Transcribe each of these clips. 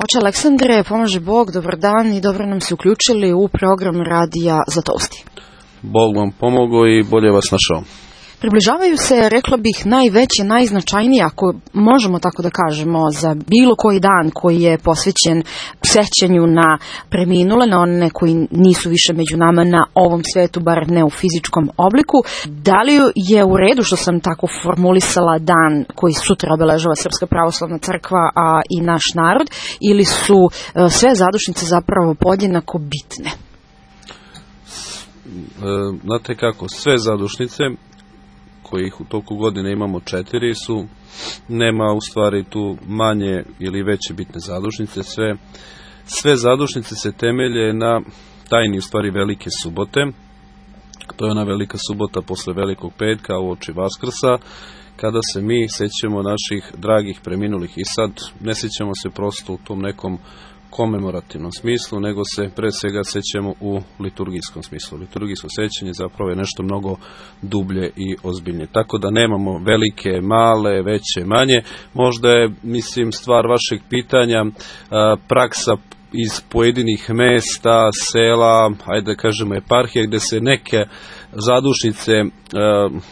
Oče Aleksandre, pomaže Bog, dobar dan i dobro nam se uključili u program Radija Zatosti. Bog vam pomogao i bolje vas našao. Približavaju se, rekla bih, najveće, najznačajnije, ako možemo tako da kažemo, za bilo koji dan koji je posvećen sećanju na preminule, na one koji nisu više među nama na ovom svetu, bar ne u fizičkom obliku. Da li je u redu što sam tako formulisala dan koji sutra obeležava Srpska pravoslavna crkva, a i naš narod, ili su sve zadušnice zapravo podjednako bitne? Znate kako, sve zadušnice, kojih u toku godine imamo 4, nema u stvari tu manje ili veće bitne zadušnice. Sve zadušnice se temelje na tajni u stvari Velike subote. To je ona Velika subota posle Velikog petka uoči Vaskrsa, kada se mi sećamo naših dragih preminulih. I sad ne sećamo se prosto u tom nekom komemorativnom smislu, nego se pre svega sećamo u liturgijskom smislu. Liturgijsko sećanje zapravo je nešto mnogo dublje i ozbiljnije. Tako da nemamo velike, male, veće, manje. Možda je, stvar vašeg pitanja, praksa iz pojedinih mesta, sela, ajde da kažemo eparhije, gde se neke zadušnice,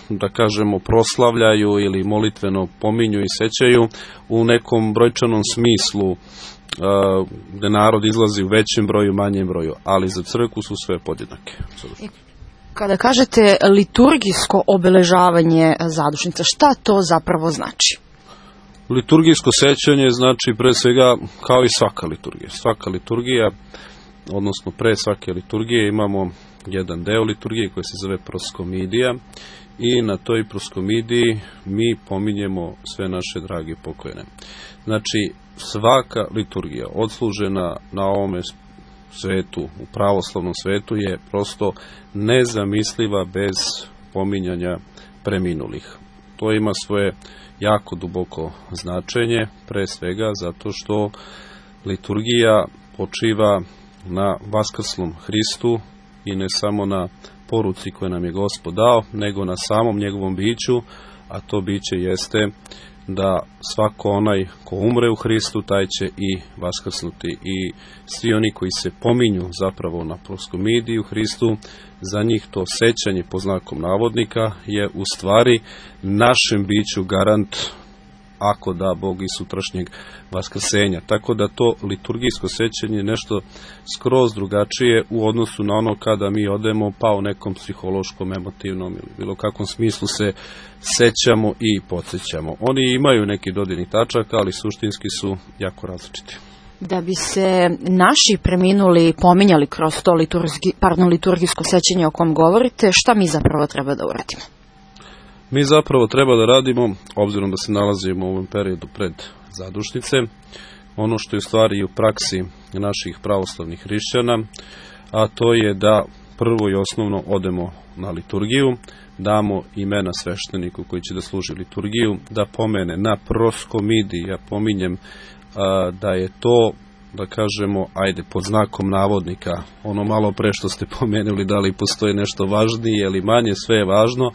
da kažemo, proslavljaju ili molitveno pominju i sećaju u nekom brojčanom smislu, gde narod izlazi u većem broju, manjem broju, ali za crkvu su sve podjednake. Kada kažete liturgijsko obeležavanje zadušnica, šta to zapravo znači? Liturgijsko sećanje znači pre svega kao i svaka liturgija. Svaka liturgija, odnosno pre svake liturgije imamo jedan deo liturgije koji se zove proskomidija i na toj proskomidiji mi pominjemo sve naše drage pokojene. Znači, svaka liturgija odslužena na ovome svetu, u pravoslavnom svetu, je prosto nezamisliva bez pominjanja preminulih. To ima svoje jako duboko značenje, pre svega zato što liturgija počiva na vaskrslom Hristu i ne samo na poruci koju nam je Gospod dao, nego na samom njegovom biću, a to biće jeste da svako onaj ko umre u Hristu, taj će i vaskrsnuti. I svi oni koji se pominju zapravo na proskomidiji u Hristu, za njih to sećanje po znakom navodnika je u stvari našem biću garant, ako da Bog, i sutrašnjeg vaskrsenja. Tako da to liturgijsko sećanje je nešto skroz drugačije u odnosu na ono kada mi odemo pa u nekom psihološkom, emotivnom ili bilo kakvom smislu se sećamo i podsjećamo. Oni imaju neki dodirnih tačaka, ali suštinski su jako različiti. Da bi se naši preminuli pominjali kroz to liturgijsko sećanje o kom govorite, šta mi zapravo treba da uradimo? Mi zapravo treba da radimo, obzirom da se nalazimo u ovom periodu pred zadušnice, ono što je u stvari i u praksi naših pravoslavnih hrišćana, a to je da prvo i osnovno odemo na liturgiju, damo imena svešteniku koji će da služi liturgiju, da pomene na proskomidiji, ja pominjem da je to, da kažemo, ajde, pod znakom navodnika, ono malo pre što ste pomenuli, da li postoji nešto važnije ili manje, sve je važno,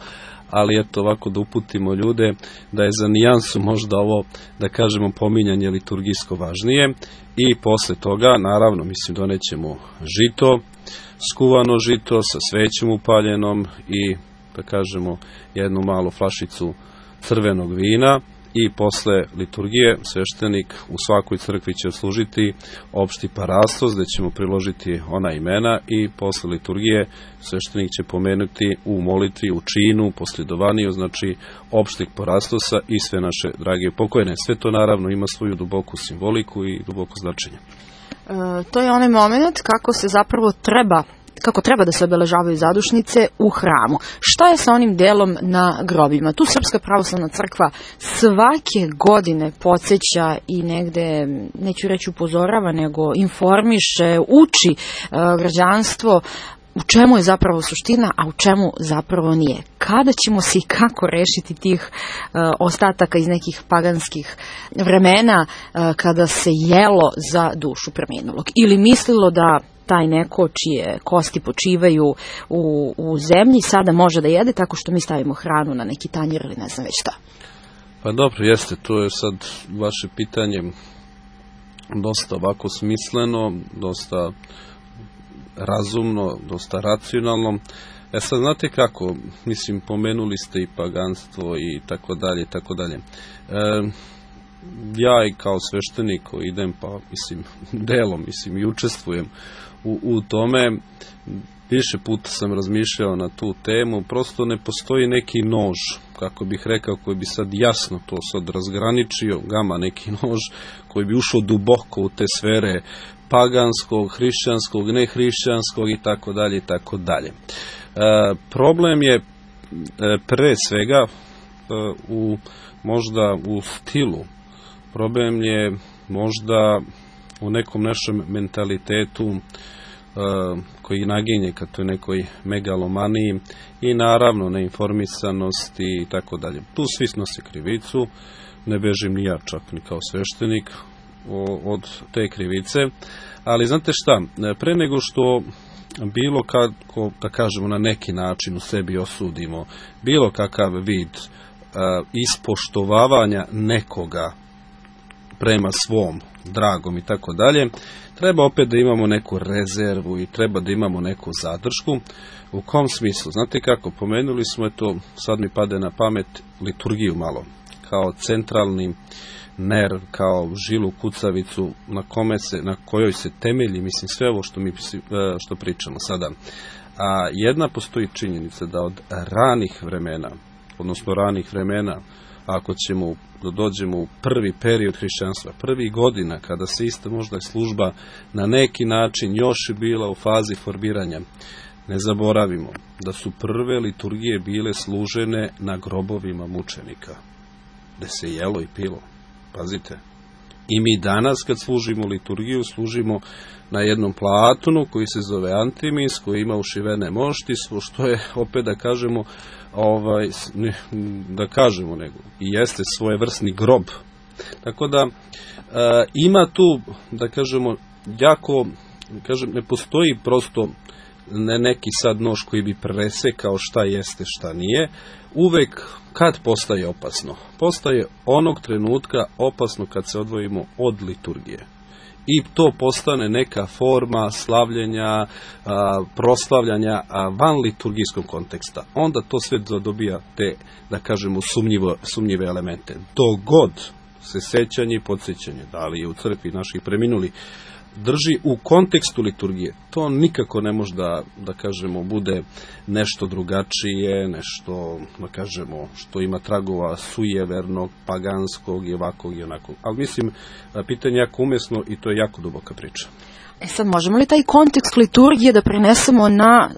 ali eto ovako da uputimo ljude da je za nijansu možda ovo, da kažemo, pominjanje liturgijsko važnije. I posle toga, naravno, donećemo žito, skuvano žito sa svećom upaljenom i, da kažemo, jednu malu flašicu crvenog vina. I posle liturgije sveštenik u svakoj crkvi će služiti opšti parastos, gde ćemo priložiti ona imena, i posle liturgije sveštenik će pomenuti u molitvi, u činu, posljedovaniju, znači opštih parastosa i sve naše drage pokojne. Sve to naravno ima svoju duboku simboliku i duboko značenje. To je onaj moment kako se zapravo treba da se obeležavaju zadušnice u hramu. Šta je sa onim delom na grobima? Tu Srpska pravoslavna crkva svake godine podsjeća i negde, neću reći upozorava, nego informiše, uči građanstvo u čemu je zapravo suština, a u čemu zapravo nije. Kada ćemo se i kako rešiti tih ostataka iz nekih paganskih vremena kada se jelo za dušu preminulog? Ili mislilo da taj neko čije kosti počivaju u zemlji sada može da jede tako što mi stavimo hranu na neki tanjir ili ne znam već šta? Pa dobro, jeste, to je sad vaše pitanje dosta ovako smisleno, dosta razumno, dosta racionalno. Sad znate kako, mislim, pomenuli ste i paganstvo i tako dalje, i tako dalje. Ja i kao sveštenik koji idem, pa mislim, delom, mislim, i učestvujem u tome, više puta sam razmišljao na tu temu, prosto ne postoji neki nož, kako bih rekao, koji bi sad jasno to sad razgraničio, gama neki nož, koji bi ušao duboko u te sfere paganskog, hrišćanskog, nehrišćanskog i tako dalje, i tako dalje. Problem je pre svega možda u stilu, problem je možda u nekom našem mentalitetu koji naginje ka toj nekoj megalomaniji i naravno neinformisanosti i tako dalje. Tu svi snose krivicu, ne bežim ni ja čak ni kao sveštenik od te krivice, ali znate šta, pre nego što bilo kako, da kažemo, na neki način u sebi osudimo bilo kakav vid ispoštovavanja nekoga prema svom dragom i tako dalje, treba opet da imamo neku rezervu i treba da imamo neku zadršku. U kom smislu? Znate kako, pomenuli smo to, sad mi pade na pamet, liturgiju malo, kao centralni nerv, kao žilu kucavicu na kojoj se temelji, mislim, sve ovo što pričamo sada. A jedna postoji činjenica da od ranih vremena, ako ćemo da dođemo u prvi period hrišćanstva, prvi godina, kada se ista možda služba na neki način još je bila u fazi formiranja, ne zaboravimo da su prve liturgije bile služene na grobovima mučenika, gde se jelo i pilo. Pazite. I mi danas kad služimo liturgiju, služimo na jednom platunu koji se zove antimis, koji ima ušivene mošti, što je, opet da kažemo, nego i jeste svojevrsni grob. Tako da ima tu, da kažemo, jako, ne postoji prosto neki sad nož koji bi presekao šta jeste, šta nije. Uvek kad postaje opasno? Postaje onog trenutka opasno kad se odvojimo od liturgije. I to postane neka forma slavljenja, proslavljanja van liturgijskog konteksta. Onda to sve dobija te, da kažemo, sumnjive elemente. Dok god se sećanje i podsjećanje, da li je u crkvi naših preminuli, drži u kontekstu liturgije, to nikako ne može da kažemo bude nešto drugačije, nešto, da kažemo, što ima tragova sujevernog, paganskog i ovakvog i onakvog. Ali mislim, pitanje je jako umesno i to je jako duboka priča. Sad, možemo li taj kontekst liturgije da prenesemo na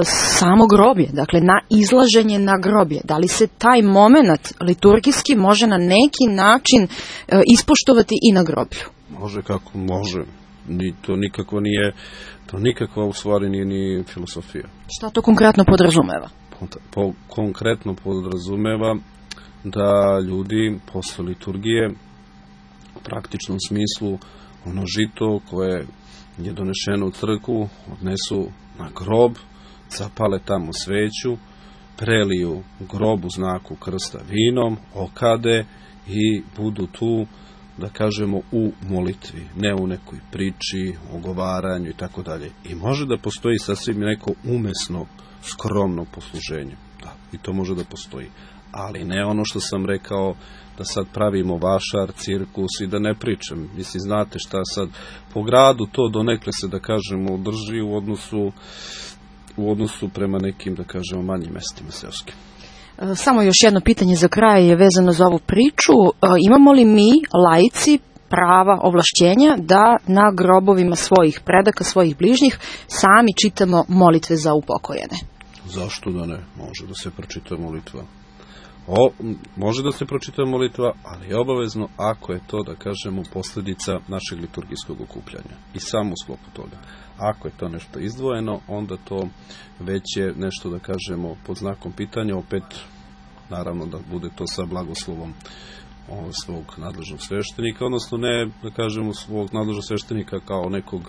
samo groblje, dakle na izlaženje na groblje? Da li se taj moment liturgijski može na neki način ispoštovati i na groblju? Može, kako može. To nikakva u stvari nije ni filosofija. Šta to konkretno podrazumeva? Konkretno podrazumeva da ljudi posle liturgije u praktičnom smislu ono žito koje je donešeno u crkvu odnesu na grob, zapale tamo sveću, preliju grob u znaku krsta vinom, okade i budu tu, da kažemo, u molitvi, ne u nekoj priči, ogovaranju i tako dalje. I može da postoji sasvim neko umesno, skromno posluženje. Da, i to može da postoji. Ali ne ono što sam rekao, da sad pravimo vašar, cirkus i da ne pričam. Mislim, znate šta sad, po gradu to donekle se, da kažemo, drži u odnosu prema nekim, da kažemo, manjim mestima seoskim. Samo još jedno pitanje za kraj je vezano za ovu priču. Imamo li mi, laici, prava, ovlašćenja da na grobovima svojih predaka, svojih bližnjih sami čitamo molitve za upokojene? Zašto da ne? Može da se pročita molitva. Može da se pročita molitva, ali je obavezno ako je to, da kažemo, posljedica našeg liturgijskog okupljanja. I samo u sklopu toga. Ako je to nešto izdvojeno, onda to već je nešto, da kažemo, pod znakom pitanja, opet, naravno, da bude to sa blagoslovom svog nadležnog sveštenika, odnosno ne, da kažemo, svog nadležnog sveštenika kao nekog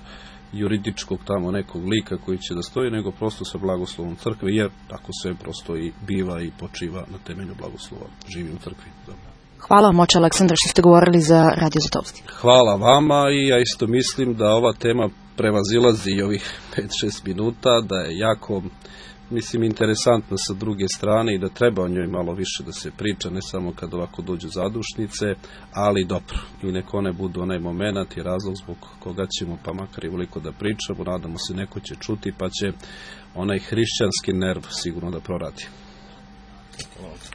juridičkog tamo nekog lika koji će da stoji, nego prosto sa blagoslovom crkve, jer tako sve prosto i biva i počiva na temelju blagoslova. Živi u crkvi. Dobro. Hvala vam, oče Aleksandar, što ste govorili za Radio Zlatovsti. Hvala vama i ja isto mislim da ova tema prevazilazi i ovih 5-6 minuta, da je jako, interesantna sa druge strane i da treba o njoj malo više da se priča, ne samo kad ovako dođu zadušnice, ali dobro. I nek one budu onaj moment i razlog zbog koga ćemo pa makar i veliko da pričamo, nadamo se neko će čuti pa će onaj hrišćanski nerv sigurno da proradi. Hvala.